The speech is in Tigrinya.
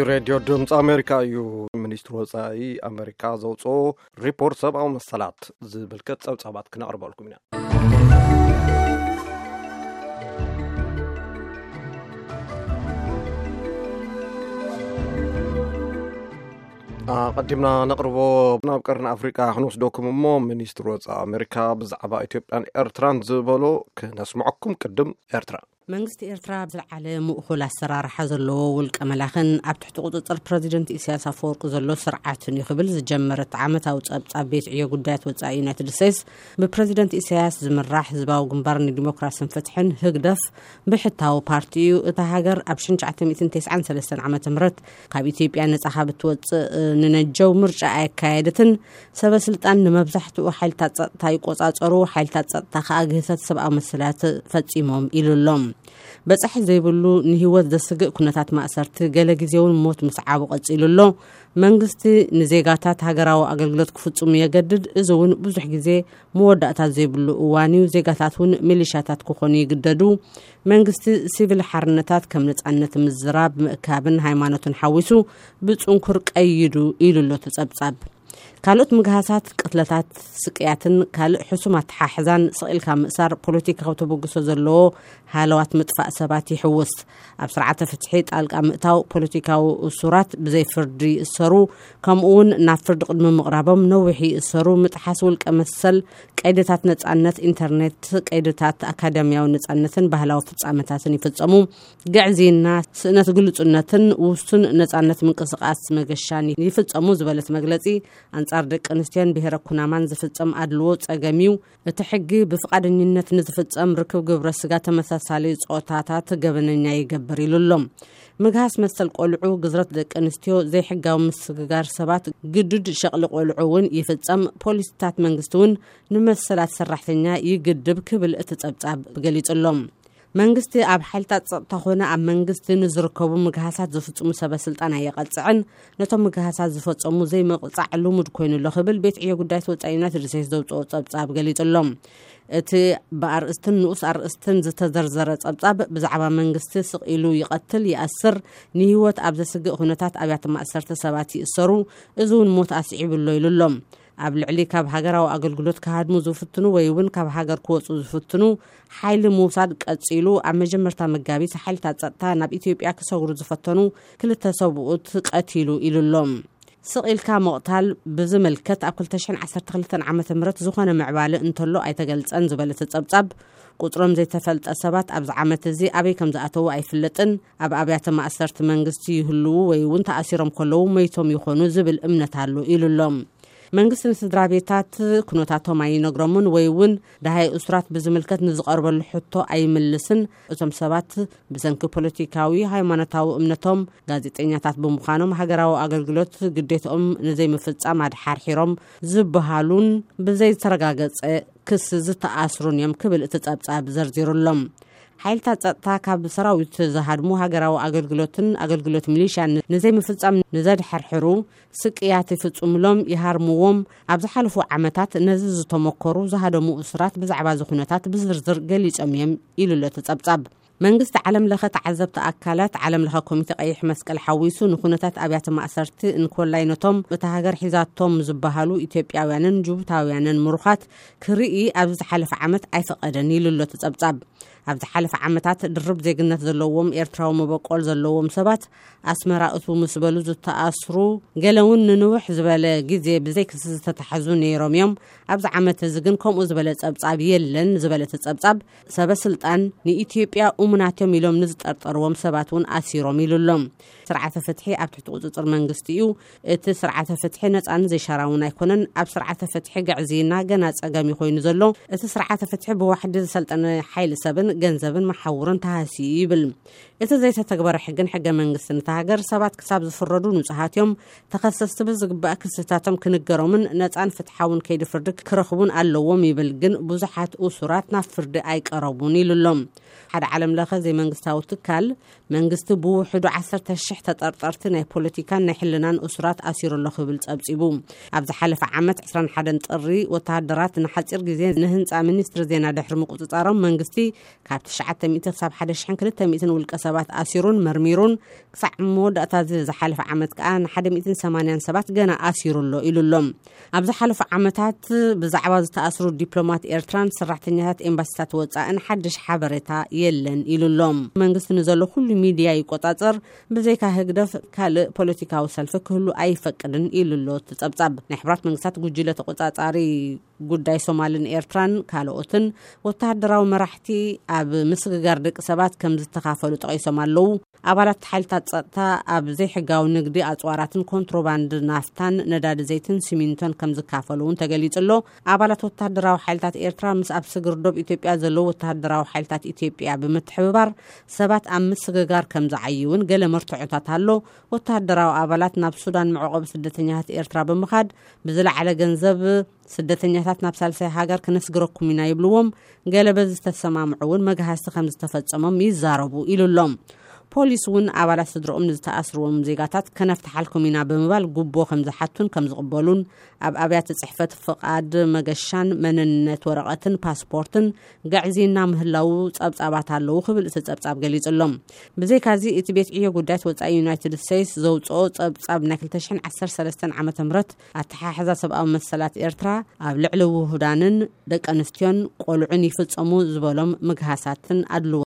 ሬድዮ ድምፂ ኣሜሪካ እዩ። ሚኒስትሪ ወፃኢ ኣሜሪካ ዘውፅኦ ሪፖርት ሰብኣዊ መሰላት ዝምልከት ፀብፃባት ክነቕርበልኩም ኢና። ኣቐዲምና ነቕርቦ ናብ ቀርኒ ኣፍሪቃ ክንወስደኩም እሞ፣ ሚኒስትሪ ወፃኢ ኣሜሪካ ብዛዕባ ኢትዮጵያን ኤርትራን ዝበሎ ክነስምዐኩም። ቅድም ኤርትራ። መንግስቲ ኤርትራ ዝለዓለ ምእኹል ኣሰራርሓ ዘለዎ ውልቀ መላኽን ኣብ ትሕቲ ቁጽጽር ፕረዚደንት ኢሳያስ ኣፈወርቂ ዘሎ ስርዓትን እዩ ክብል ዝጀመረት ዓመታዊ ጸብጻብ ቤት ዕዮ ጉዳያት ወጻኢ ዩናይትድ ስቴትስ፣ ብፕረዚደንት ኢሳያስ ዝምራሕ ህዝባዊ ግንባር ንዲሞክራስን ፍትሕን፣ ህግደፍ፣ ብሕታዊ ፓርቲ እዩ። እታ ሃገር ኣብ ሽሕን ትሽዓተ ሚእትን ተስዓን ሰለስተን ዓመተ ምህረት ካብ ኢትዮጵያ ነጻ ካብ እትወጽእ ንነጀው ምርጫ ኣየካየደትን። ሰበ ስልጣን ንመብዛሕትኡ ሓይልታት ጸጥታ ይቆጻጸሩ፣ ሓይልታት ጸጥታ ከኣ ግህሰት ሰብኣዊ መሰላት ፈጺሞም ኢሉ ኣሎ። በጻሒ ዘይብሉ ንህይወት ዘስግእ ኩነታት ማእሰርቲ፣ ገለ ግዜ እውን ሞት ምስዓቡ ቀጺሉ ኣሎ። መንግስቲ ንዜጋታት ሃገራዊ ኣገልግሎት ክፍጽሙ የገድድ። እዚ እውን ብዙሕ ግዜ መወዳእታ ዘይብሉ እዋን እዩ። ዜጋታት እውን ሚሊሻታት ክኾኑ ይግደዱ። መንግስቲ ሲቪል ሓርነታት ከም ነጻነት ምዝራብ፣ ምእካብን ሃይማኖትን ሓዊሱ ብጽንኩር ቀይዱ ኢሉ ኣሎ እቲ ጸብጻብ። ካልኦት ምግሃሳት፣ ቅትለታት፣ ስቅያትን ካልእ ሕሱም ኣተሓሕዛን ስቕ ኢልካ ምእሳር ፖለቲካዊ ተበግሶ ዘለዎ ሃለዋት ምጥፋእ ሰባት ይሕውስ። ኣብ ስርዓተ ፍትሒ ጣልቃ ምእታው፣ ፖለቲካዊ እሱራት ብዘይ ፍርዲ ይእሰሩ፣ ከምኡ እውን ናብ ፍርዲ ቅድሚ ምቕራቦም ነዊሕ ይእሰሩ፣ ምጥሓስ ውልቀ መሰል፣ ቀይድታት ነጻነት ኢንተርኔት፣ ቀይድታት ኣካዳሚያዊ ነጻነትን ባህላዊ ፍጻመታትን ይፍጸሙ። ግዕዝይና፣ ስእነት ግሉጽነትን ውሱን ነጻነት ምንቅስቃስ መገሻን ይፍጸሙ ዝበለት መግለጺ፣ ኣንጻር ደቂ ኣንስትዮን ብሄረ ኩናማን ዝፍጸም ኣድልዎ ጸገም እዩ። እቲ ሕጊ ብፍቓደኝነት ንዝፍጸም ርክብ ግብረ ስጋ ተመሳሳሊ ጾታታት ገበነኛ ይገብር ኢሉ ኣሎ። ምግሃስ መሰል ቆልዑ፣ ግዝረት ደቂ ኣንስትዮ፣ ዘይሕጋዊ ምስግጋር ሰባት፣ ግዱድ ሸቕሊ ቆልዑ እውን ይፍጸም። ፖሊሲታት መንግስቲ እውን ንመሰላት ሰራሕተኛ ይግድብ ክብል እቲ ጸብጻብ ገሊጹ ኣሎ። መንግስቲ ኣብ ሓይልታት ጸጥታ ኾነ ኣብ መንግስቲ ንዝርከቡ ምግሃሳት ዝፍጽሙ ሰበ ስልጣን ኣየቐጽዕን፣ ነቶም ምግሃሳት ዝፈጸሙ ዘይምቕጻዕ ልሙድ ኮይኑ ኣሎ ክብል ቤት ዕዮ ጉዳያት ወጻኢ ዩናይትድ ስቴትስ ዘውጽኦ ጸብጻብ ገሊጹ ኣሎ። እቲ ብኣርእስትን ንኡስ ኣርእስትን ዝተዘርዘረ ጸብጻብ፣ ብዛዕባ መንግስቲ ስቕ ኢሉ ይቐትል፣ ይኣስር፣ ንህይወት ኣብ ዘስግእ ኩነታት ኣብያተ ማእሰርቲ ሰባት ይእሰሩ፣ እዚ እውን ሞት ኣስዒቡ ኣሎ ኢሉ ኣሎ። ኣብ ልዕሊ ካብ ሃገራዊ ኣገልግሎት ክሃድሙ ዝፍትኑ ወይ እውን ካብ ሃገር ክወጹ ዝፍትኑ ሓይሊ ምውሳድ ቀጺሉ፣ ኣብ መጀመርታ መጋቢት ሓይልታት ጸጥታ ናብ ኢትዮጵያ ክሰግሩ ዝፈተኑ ክልተ ሰብኡት ቀቲሉ ኢሉ ኣሎ። ስቕ ኢልካ ምቕታል ብዝምልከት፣ ኣብ ክልተ ሽሕን ዓሰርተ ክልተን ዓመተ ምህረት ዝኾነ ምዕባለ እንተሎ ኣይተገልጸን ዝበለ እቲ ጸብጻብ፣ ቁጽሮም ዘይተፈልጠ ሰባት ኣብዚ ዓመት እዚ ኣበይ ከም ዝኣተዉ ኣይፍለጥን፣ ኣብ ኣብያተ ማእሰርቲ መንግስቲ ይህልዉ ወይ እውን ተኣሲሮም ከለዉ መይቶም ይኾኑ ዝብል እምነት ኣሎ ኢሉ ኣሎ። መንግስቲ ንስድራ ቤታት ኩነታቶም ኣይነግሮምን ወይ እውን ደሃይ እሱራት ብዝምልከት ንዝቐርበሉ ሕቶ ኣይምልስን። እቶም ሰባት ብሰንኪ ፖለቲካዊ፣ ሃይማኖታዊ እምነቶም፣ ጋዜጠኛታት ብምዃኖም፣ ሃገራዊ ኣገልግሎት ግዴትኦም ንዘይምፍጻም ኣድሓርሒሮም ዝበሃሉን ብዘይተረጋገጸ ክሲ ዝተኣስሩን እዮም ክብል እቲ ጸብጻብ ዘርዚሩ ኣሎ። ሓይልታት ጸጥታ ካብ ሰራዊት ዝሃድሙ፣ ሃገራዊ ኣገልግሎትን ኣገልግሎት ሚሊሻን ንዘይምፍጻም ንዘድሓርሕሩ ስቅያት ይፍጽሙሎም፣ ይሃርምዎም። ኣብ ዝሓለፉ ዓመታት ነዚ ዝተመኮሩ ዝሃደሙ እሱራት ብዛዕባ እዚ ኩነታት ብዝርዝር ገሊጾም እዮም ኢሉ ኣሎ እቲ ጸብጻብ። መንግስቲ፣ ዓለም ለኸ ተዓዘብቲ ኣካላት፣ ዓለም ለኸ ኮሚቴ ቀይሕ መስቀል ሓዊሱ ንኩነታት ኣብያተ ማእሰርቲ እንኮላይ ነቶም እታ ሃገር ሒዛቶም ዝበሃሉ ኢትዮጵያውያንን ጅቡታውያንን ምሩኻት ክርኢ ኣብዚ ዝሓለፈ ዓመት ኣይፈቐደን ኢሉ ኣሎ እቲ ጸብጻብ። ኣብ ዝሓለፈ ዓመታት ድርብ ዜግነት ዘለዎም ኤርትራዊ መበቆል ዘለዎም ሰባት ኣስመራ እትው ምስ በሉ ዝተኣስሩ፣ ገለ እውን ንንውሕ ዝበለ ግዜ ብዘይ ክሲ ዝተታሕዙ ነይሮም እዮም። ኣብዚ ዓመት እዚ ግን ከምኡ ዝበለ ጸብጻብ የለን ዝበለ እቲ ጸብጻብ፣ ሰበ ስልጣን ንኢትዮጵያ እሙናት እዮም ኢሎም ንዝጠርጠርዎም ሰባት እውን ኣሲሮም ኢሉ ኣሎ። ስርዓተ ፍትሒ ኣብ ትሕቲ ቁጽጽር መንግስቲ እዩ። እቲ ስርዓተ ፍትሒ ነጻን ዘይሻራውን ኣይኮነን። ኣብ ስርዓተ ፍትሒ ግዕዝይና ገና ጸገም እዩ ኮይኑ ዘሎ። እቲ ስርዓተ ፍትሒ ብዋሕዲ ዝሰልጠነ ሓይሊ ሰብን ገንዘብን መሓውርን ተሃስዩ ይብል። እቲ ዘይተተግበረ ሕግን ሕገ መንግስትን እታ ሃገር፣ ሰባት ክሳብ ዝፍረዱ ንጹሃት እዮም። ተኸሰስቲ ብዝግባእ ክስታቶም ክንገሮምን ነጻን ፍትሓውን ከይዲ ፍርዲ ክረኽቡን ኣለዎም ይብል። ግን ብዙሓት እሱራት ናብ ፍርዲ ኣይቀረቡን ኢሉ ኣሎ። ሓደ ዓለም ለኸ ዘይመንግስታዊ ትካል፣ መንግስቲ ብውሕዱ ዓሰርተ ሽሕ ተጠርጠርቲ ናይ ፖለቲካን ናይ ሕልናን እሱራት ኣሲሩ ኣሎ ክብል ጸብጺቡ። ኣብ ዝሓለፈ ዓመት ዕስራን ሓደን ጥሪ፣ ወተሃደራት ንሓጺር ግዜ ንህንጻ ሚኒስትሪ ዜና ድሕሪ ምቁጽጻሮም፣ መንግስቲ ካብ ትሽዓተ ሚእቲ ክሳብ ሓደ ሽሕን ክልተ ሚእትን ውልቀ ሰባት ኣሲሩን መርሚሩን፣ ክሳዕ መወዳእታ እዚ ዝሓለፈ ዓመት ከኣ ን ሓደ ሚእትን ሰማንያን ሰባት ገና ኣሲሩ ኣሎ ኢሉ ኣሎ። ኣብ ዝሓለፉ ዓመታት ብዛዕባ ዝተኣስሩ ዲፕሎማት ኤርትራን ሰራሕተኛታት ኤምባሲታት ወጻእን ሓድሽ ሓበሬታ የለን ኢሉ ኣሎ። መንግስቲ ንዘሎ ኩሉ ሚድያ ይቆጻጸር፣ ብዘይካ ህግደፍ ካልእ ፖለቲካዊ ሰልፊ ክህሉ ኣይፈቅድን ኢሉ ኣሎ እቲ ጸብጻብ። ናይ ሕቡራት መንግስታት ጉጅለ ተቆጻጻሪ ጉዳይ ሶማልን ኤርትራን ካልኦትን ወተሃደራዊ መራሕቲ ኣብ ምስግጋር ደቂ ሰባት ከም ዝተኻፈሉ ጠቒሶም ኣለዉ። ኣባላት ሓይልታት ጸጥታ ኣብ ዘይሕጋዊ ንግዲ ኣጽዋራትን ኮንትሮባንድ ናፍታን ነዳዲ ዘይትን ሲሚንቶን ከም ዝካፈሉ እውን ተገሊጹ ኣሎ። ኣባላት ወተሃደራዊ ሓይልታት ኤርትራ ምስ ኣብ ስግር ዶብ ኢትዮጵያ ዘለዉ ወተሃደራዊ ሓይልታት ኢትዮጵያ ብምትሕብባር ሰባት ኣብ ምስግጋር ከም ዝዓይውን ገለ መርትዖታት ኣሎ። ወተሃደራዊ ኣባላት ናብ ሱዳን መዕቆቢ ስደተኛታት ኤርትራ ብምኻድ ብዝለዓለ ገንዘብ ስደተኛታት ናብ ሳልሳይ ሃገር ክነስግረኩም ኢና ይብልዎም። ገለ በዚ ዝተሰማምዑ እውን መግሃስቲ ከም ዝተፈጸሞም ይዛረቡ ኢሉ ኣሎ። ፖሊስ እውን ኣባላት ስድርኦም ንዝተኣስርዎም ዜጋታት ከነፍትሓልኩም ኢና ብምባል ጉቦ ከም ዝሓቱን ከም ዝቕበሉን፣ ኣብ ኣብያተ ጽሕፈት ፍቓድ መገሻን መንነት ወረቐትን ፓስፖርትን ገዕዚና ምህላዉ ጸብጻባት ኣለዉ ክብል እቲ ጸብጻብ ገሊጹ ኣሎ። ብዘይካዚ እቲ ቤት ዕዮ ጉዳያት ወጻኢ ዩናይትድ ስቴትስ ዘውጽኦ ጸብጻብ ናይ ክልተ ሽሕን ዓሰርተ ሰለስተን ዓመተ ምህረት ኣተሓሕዛ ሰብኣዊ መሰላት ኤርትራ ኣብ ልዕሊ ውሁዳንን ደቂ ኣንስትዮን ቆልዑን ይፍጸሙ ዝበሎም ምግሃሳትን ኣድልዎ